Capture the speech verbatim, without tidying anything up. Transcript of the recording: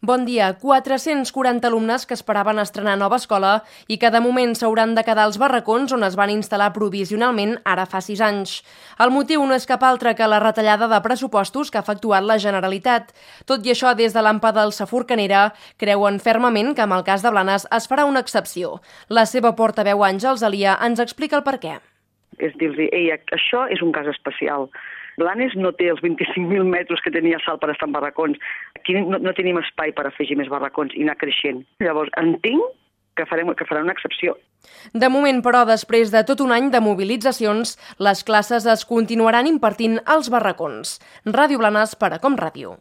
Bon dia. quatre-cents quaranta alumnes que esperaven estrenar nova escola i que de moment s'hauran de quedar als barracons on es van instal·lar provisionalment ara fa sis anys. El motiu no és cap altre que la retallada de pressupostos que ha efectuat la Generalitat. Tot i això, des de l'AMPA del Saforcanera creuen fermament que en el cas de Blanes es farà una excepció. La seva portaveu Àngels Alia ens explica el perquè. És dir-los, ei, això és un cas especial. Blanes no té els vint-i-cinc mil metres que tenia Salt per estar en barracons. Aquí no, no tenim espai per afegir més barracons i anar creixent. Llavors, entenc que, farem, que farà una excepció. De moment, però, després de tot un any de mobilitzacions, les classes es continuaran impartint als barracons. Ràdio Blanes per a Com Ràdio.